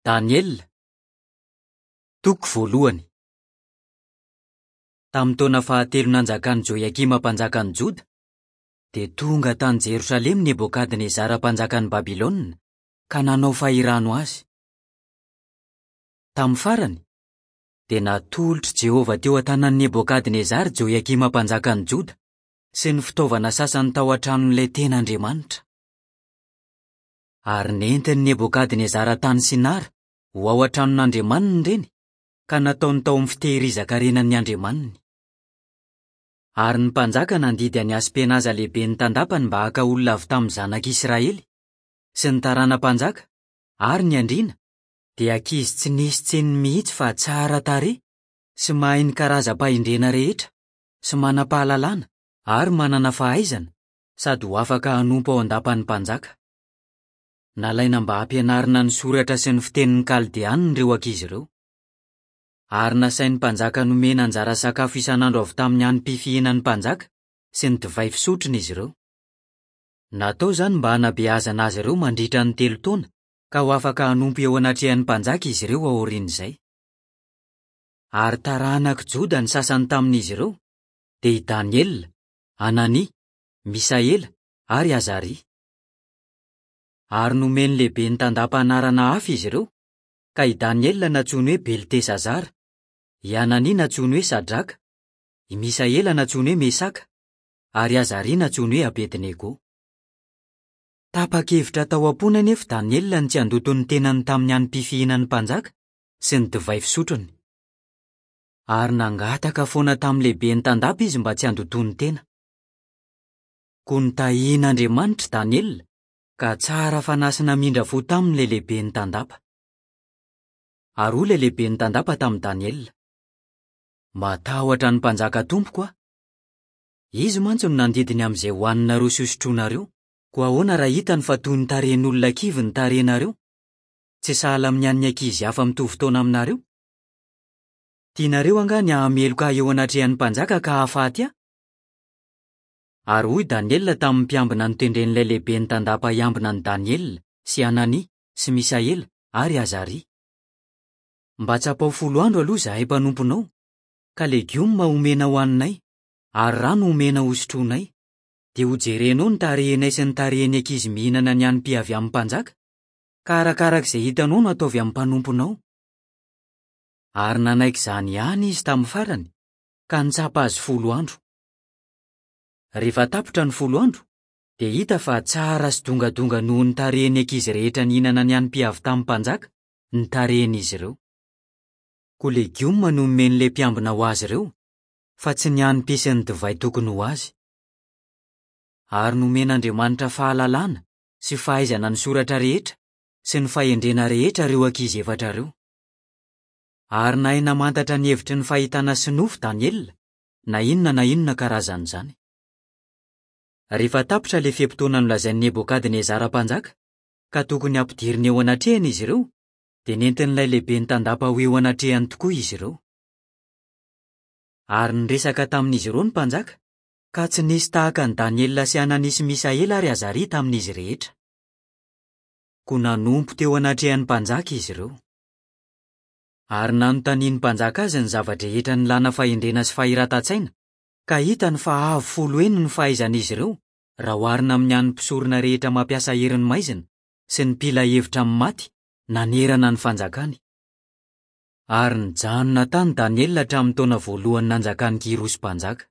Daniela, toko voalohany. Tamin'ny taona fahatelo nanjakan'i Joiakima mpanjakan'i Joda, dia tonga tany Jerosalema Nebokadnezara mpanjakan'i Babylona ka nanao fahirano azy. Tamin'ny farany, dia natolotr'i Jehovah teo an-tanan'i Nebokadnezara Joiakima mpanjakan'i Joda sy ny fitaovana sasany tao an-tranon'ilay tena Andriamanitra. Ary nentin'i Nebokadnezara tany Sinara ho ao an-tranon'andriamaniny ireny, ka nataony tao amin'ny fitehirizan-karenan'ny andriamaniny. Ary ny mpanjaka nandidy an'i Aspenaza lehiben'ny tandapany mba haka olona avy tamin'ny zanak'Israely, sy ny tarana-mpanjaka, ary ny andriana, dia ankizy tsy nisy tsininy mihitsy fa tsara tarehy sy mahay ny karazam-pahendrena rehetra, sy manam-pahalalana ary manana fahaizana, sady ho afaka hanompo ao an-dapan'ny mpanjaka. Nalaina mba hampianarina ny soratra sy ny fitenin'ny Kaldeanina ireo ankizy ireo. Ary nasain'ny mpanjaka nomena anjara sakafo isan'andro avy tamin'ny hanim-pifihinan'ny mpanjaka sy ny divay fisotrony izy ireo. Natao izany mba hanabeazana azy ireo mandritra ny telo taona ka ho afaka hanompo eo anatrehan'ny mpanjaka izy ireo aorian'izay. Ary taranak'i Joda ny sasany tamin'izy ireo, dia i Daniela, Hanania, Misaela ary Azaria. Ary nomen'ny lehiben'ny tandapa anarana hafa izy ireo, ka i Daniela nantsoiny hoe Beltesazara, i Hanania nantsoiny hoe Sadraka, i Misaela nantsoiny hoe Mesaka, ary Azaria nantsoiny hoe Abednego. Tapa-kevitra tao am-pony anefa Daniela ny tsy handoto ny tenany tamin'ny hanim-pifihinan'ny mpanjaka sy ny divay fisotrony. Ary nangataka foana tamin'ny lehiben'ny tandapa izy mba tsy handotoany tena. Koa notahian'Andriamanitra i Daniela, ka tsara fanahy sy namindra fo taminy ilay lehiben'ny tandapa. Ary hoy ilay lehiben'ny tandapa tamin'i Daniela, Matahotra ny mpanjaka tompoko aho. Izy mantsy no nandidy ny amin'izay hohaninareo sy hosotroinareo. Koa ahoana raha hitany fa toy ny tarehin'olona kivy ny tarehinareo, tsy sahala amin'ny an'ny ankizy hafa mitovy taona aminareo? Tianareo angaha ny hahameloka ahy eo anatrehan'ny mpanjaka ka hahafaty ahy? Ary hoy Daniela tamin'ny mpiambina notendren'ilay lehiben'ny tandapa hiambina an'i Daniela sy Hanania sy Misaela ary Azaria, Mba tsapao folo andro aloha izahay mpanomponao, ka legioma homena hohaninay, ary rano homena hosotroinay, dia hojerenao ny tarehinay sy ny tarehin'ny ankizy mihinana ny hanim-py avy amin'ny mpanjaka, ka arakaraka izay hitanao no ataovy amin'ny mpanomponao. Ary nanaiky izany ihany izy tamin'ny farany, ka nitsapa azy folo andro. Rehefa tapitra ny folo andro, dia hita fa tsara sy dongadonga noho ny tarehin'ny ankizy rehetra nihinana ny hanim-py avy tamin'ny mpanjaka ny tarehin'izy ireo. Koa legioma no nomen'ilay mpiambina ho azy ireo, fa tsy ny hanim-py sy ny divay tokony ho azy. Ary nomen'Andriamanitra fahalalana sy fahaizana ny soratra rehetra sy ny fahendrena rehetra ireo ankizy efatra ireo. Ary nahay namantatra ny hevitry ny fahitana sy nofy Daniela, na inona na inona karazan'izany. Rehefa tapitra ilay fe-potoana nolazain'i Nebokadnezara mpanjaka, ka tokony hampidirina eo anatrehany izy ireo, dia nentin'ilay lehiben'ny tandapa ho eo anatrehany tokoa izy ireo. Ary niresaka tamin'izy ireo ny mpanjaka, ka tsy nisy tahaka an'i Daniela sy Hanania sy Misaela ary Azaria tamin'izy rehetra. Koa nanompo teo anatrehan'ny mpanjaka izy ireo. Ary nanontanian'ny mpanjaka azy ny zava-drehetra nilana fahendrena sy fahiratan-tsaina, ka hitany fa avo folo heny ny fahaizan'izy ireo raha oharina amin'ny an'ny mpisorona rehetra mampiasa herin'ny maizina sy ny mpila hevitra amin'ny maty nanerana ny fanjakany. Ary nijanona tany Daniela hatramin'ny taona voalohany nanjakan'i Kyrosy mpanjaka.